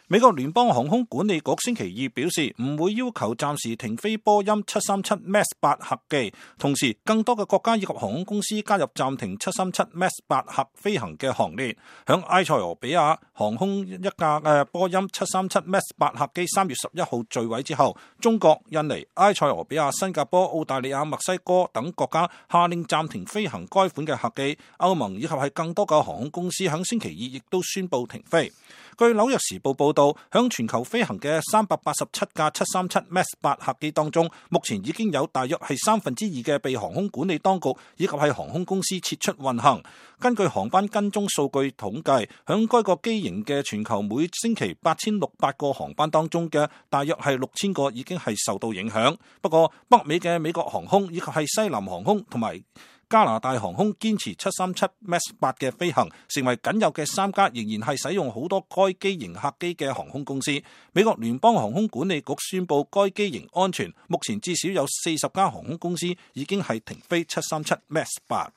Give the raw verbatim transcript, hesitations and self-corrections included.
美國聯邦航空管理局星期二表示，唔會要求暫時停飛波音七三七 MAX 八客機，同時更多嘅國家以及航空公司加入暫停七三七 MAX 八客飛行嘅行列。響埃塞俄比亞航空一架嘅波音七三七 MAX 八客機三月十一號墜毀之後，中國、印尼、埃塞俄比亞、新加坡、澳大利亞、墨西哥等國家下令暫停飛行該款嘅客機。歐盟以及係更多嘅航空公司響星期二亦都宣布停飛。據紐約時報報道，響全球飛行嘅三百八十七架七三七 MAX 八客機當中，目前已經有大約係三分之二嘅被航空管理當局以及係航空公司撤出運行。根據航班跟蹤數據統計，響該個機型嘅全球每星期八千六百個航班當中嘅大約係六千個已經係受到影響。不過北美嘅美國航空以及係西南航空同埋加拿大航空堅持七三七 MAX 八嘅飛行，成為僅有嘅三家仍然係使用好多該機型客機嘅航空公司。美國聯邦航空管理局宣布該機型安全，目前至少有四十家航空公司已經係停飛七三七 MAX 八。